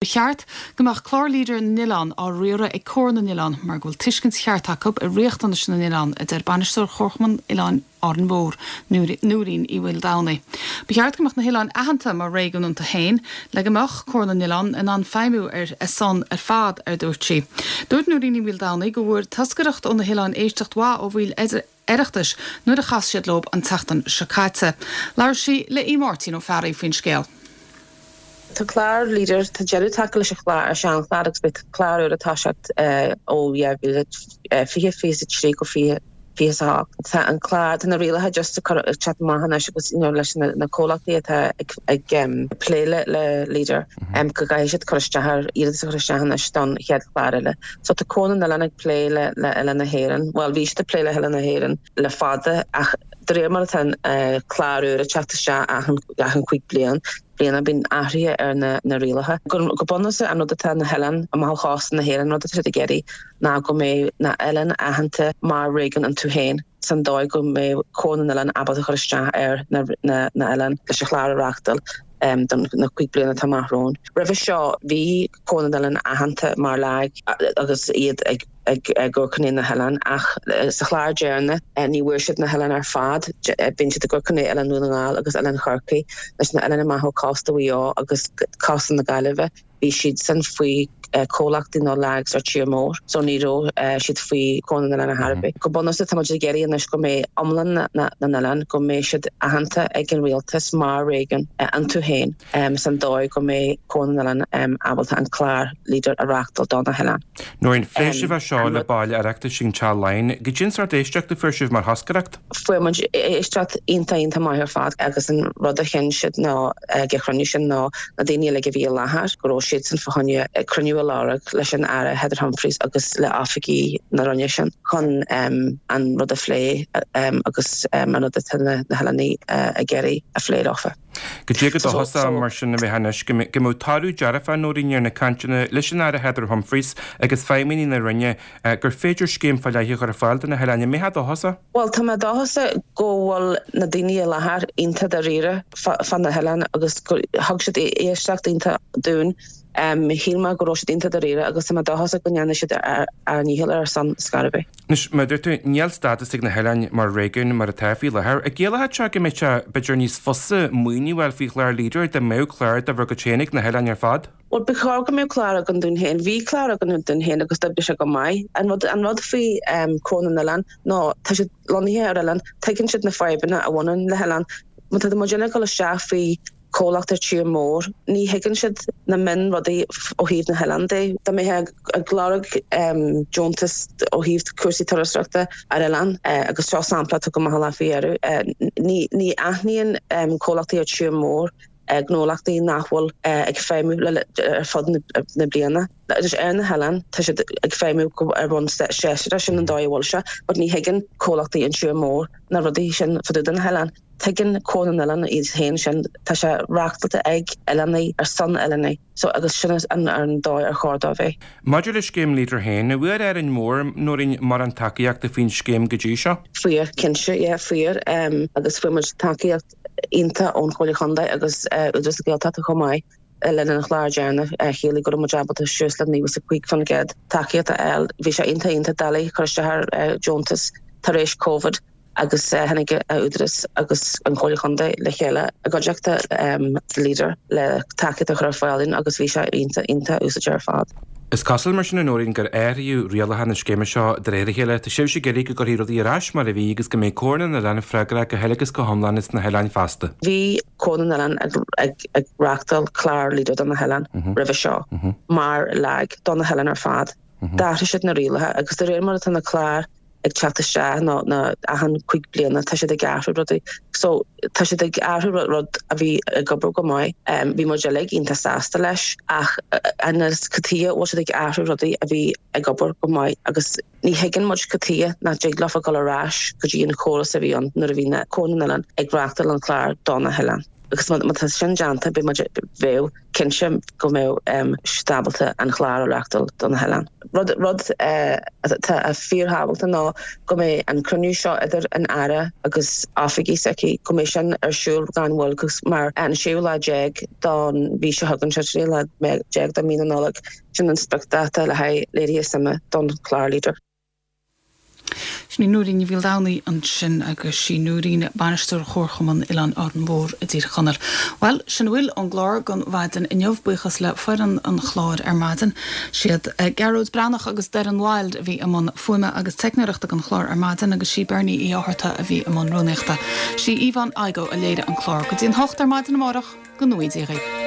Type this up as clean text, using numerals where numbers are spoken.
Ba cheart go mbeadh clár Leader na nOileán á riaradh ag Comhar na nOileán mar go bhfuil tuiscint cheart acu ar riachtanais na n-oileán, a deir bainisteoir Chomharchumann Oileáin Árainn Mhór, Nóirín Uí Mhaoldomhnaigh. Ba cheart go mbeadh na hoileáin aitheanta mar réigiún iontu féin le go mbeadh Comhar na nOileán in ann feidhmiú ar a son ar fad, ar dúirt sí. Dúirt Nóirín Uí Mhaoldomhnaigh go bhfuair toscaireacht ó na hoileáin éisteacht mhaith ó bhaill Oireachtais nuair a chas siad leo an tseachtain seo caite. Labhair sí le Aodh Máirtín Ó Fearraigh faoin scéal. Tá clár Leader, tá deireadh tagtha leis an chlár, an seanchlár agus beidh clár úr ag toiseacht ó 2020, 23 go 20, 28. Tá an clár, tá na rialacha just ag cur, ag teacht amach anois agus you know leis na na comhlachtaí atá ag ag plé le le Leader go gcaithfidh siad cur isteach ar, iarratas a chur isteach anois don chéad chlár eile. So tá Comhar na nOileán ag plé le le Oileáin na hÉireann, bhuel bhí siad ag plé le hOileáin na hÉireann le fada ach de réir mar atá an clár úr ag teacht isteach achan achan chúig bliain, bliana bíonn athruithe ar na na rialacha. Go go bunúsach an rud atá na hoileáin amach ó chósta na hÉireann, an rud atá siad ag iarraidh ná go mbeidh na hoileáin aitheanta mar réigiún iontu féin san dóigh go mbeidh Comhar na nOileán ábalta cur isteach ar na na na hoileáin leis an chlár a reáchtáil don na chúig bliana atá amach romhainn. Roimhe seo bhí Comhar na nOileán aitheanta mar LAG agus iad ag amharc chun na hoileáin ach sa chlár deireanach ní bhfuair siad na hoileáin ar fad. Bíonn siad ag amharc chun Oileán Dhún na nGall agus Oileán Chorcaí leis na hoileáin amach ó cósta Mhaigh Eo agus cósta na Gaillimhe. Bhí siad san faoi comhlachtaí nó LAGs ar tír mór so ní raibh siad faoi Comhar na nOileán ar chor ar bith. Go bunúsach tá muid ag iarraidh anois go mbeidh iomlán na n-oileán, go mbeidh siad aitheanta ag an rialtas mar réigiún iontu féin. san dóigh go mbeidh Comhar na nOileán ábalta an clár Leader a reáchtáil do na hoileáin. Nóirín, phléigh sibh é seo le baill Oireachtais ag an Teach Laighean. Goidé an sórt éisteachta a fuair sibh mar thoscaireacht? Fuair muid éisteacht iontach iontach maith ar fad agus an rud a chinn siad ná ag an chruinniú sin ná na daoine uilig a bhí i láthair go raibh siadsan fá choinne cruinniú a lorg leis an Aire Heather Humphreys agus le oifigigh na Roinne sin chun an rud a phlé agus an rud atá na hoileánaigh ag iarraidh a phlé leofa. Goidé chomh dóchasach mar sin a bheifeá anois go mbeadh toradh dearfach, Nóirín, ar na cainteanna leis an Aire Heather Humphreys agus feidhmeannaigh na Roinne gur féidir scéim fá leith a chur ar fáil do na hoileáin. An mbeifeá dóchasach? Bhuel, tá mé dóchasach go bhfuil na daoine i láthair iontach dáiríre fá na hoileáin agus gur thug siad éisteacht iontach dúinn. Shíl mé go raibh siad iontach dáiríre agus tá mé dóchasach go ndéanfaidh siad a ndícheall ar ár son scor ar bith. Anois, mar a dúirt tú, níl stádas ag na hoileáin mar réigiún mar atá faoi láthair. An gciallódh seo go mbeadh sé, b'fhéidir, níos fusa maoiniú a fháil faoi chlár Leader dá mbeadh clár de bhur gcuid féin ag na hoileáin ar fad? Bhuel, ba chóir go mbeadh clár againn dúinn féin. Bhí clár againn dúinn féin agus d'oibrigh sé go maith. An rud, an rud faoi Comhar na nOileán ná tá siad lonnaithe ar oileán, tuigeann siad na fadhbanna a bhaineann le hoileán. Má tá muidinne ag dul isteach faoi comhlacht ar tír mór. Ní thuigeann siad na mion-rudaí ó thaobh na hoileán de. Dá mbeifeá ag lorg deontas ó thaobh cúrsaí turasóireachta ar oileán, agus seo sampla a tugadh amach an lá faoi dheireadh, ní aithníonn comhlachtaí ar tír mór gnólachtaí nach bhfuil ag feidhmiú ar fud na bliana. Agus ar na hoileáin, tá siad ag feidhmiú ar bhonn séasúrach, sin an dóigh a bhfuil sé, but ní thuigeann comhlachtaí an tír mór na rudaí sin fá dtaobh de na hoileáin. Tuigeann Comhar na nOileán iad féin sin, tá sé reáchtáilte ag oileánaigh ar son oileánaigh, so agus sin an dóigh ar chóir dó a bheith. Maidir le scéim Leader féin, an bhfuair Árainn Mhór, Nóirín, mórán tacaíochta faoin scéim go dtí seo? Fuair, cinnte, yeah, fuair agus fuair muid tacaíocht iontach ón Chomhairle Chontae agus Údarás na Gaeltachta chomh maith le linn an chláir deireanach. Chiallaigh go raibh muid ábalta suas le 95% tacaíocht a fháil. Bhí sé iontach iontach doiligh cur isteach ar deontas tar éis Covid. agus tháinig an Údarás agus an Chomhairle Chontae le chéile i gcuideachta Leader le tacaíocht a chur ar fáil dúinn agus bhí sé iontach, iontach úsáideach ar fad. Is cosúil mar sin, a Nóirín, gur athraíodh rialacha na scéime seo de réir a chéile. Tá sibhse ag iarraidh go gcuirfí rudaí ar ais mar a bhí agus go mbeidh Comhar na nOileán freagrach go huile agus go hiomlán as na hoileáin feasta. Bhí Comhar na nOileán ag reáchtáil clár Leader do na hoileáin roimhe seo mar LAG do na hoileáin ar fad. D'athraigh siad na rialacha agus de réir mar atá na cláir ag teacht isteach nó na achan chuig bliana tá siad ag athrú rudaí. So tá siad ag athrú rud a bhí ag obair go maith. Bhí muid uilig iontach sásta leis ach anois cad chuige a bhfuil siad ag athrú rudaí a bhí ag obair go maith agus ní thuigeann muid cad chuige nach dtig leofa dul ar ais go dtí an chóras a bhí ann nuair a bhí na Comhar na nOileán ag reáchtáil an chlár do na hoileáin. Agus má tá sin déanta, beidh muid, bheadh cinnte go mbeadh siad ábalta an chlár a reachtáil do na hoileáin. Rud rud atá fíorthábhachtach ná go mbeidh an cruinniú seo idir an Aire agus oifigigh s'aici, go mbeidh sin ar siúl gan mhoill agus mar an séú lá déag don mhí seo chugainn, séú lá déag de mhí na Nollag, sin an spriocdháta le haghaidh léirithe suime don chlár Leader. Sin í Nóirín Ní Mhaoldomhnaigh ansin agus sí Nóirín bainisteoir Chomharchumann Oileáin Árainn Mhór i dTír Chonaill. Bhuel, sin a bhfuil ón gclár don mhaidin inniu. Buíochas le foireann an chláir ar maidin. Siad Gearóid Breathnach agus Doireann Wilde a bhí i mbun fuaime agus teicneoireachta don chlár ar maidin agus sí Bernie Uí Fhátharta a bhí i mbun rúnaíochta. Sí Yvonne Igoe a léirigh an clár. Go dtí an hocht ar maidin amárach, go ngnóthaí Dia dhaoibh.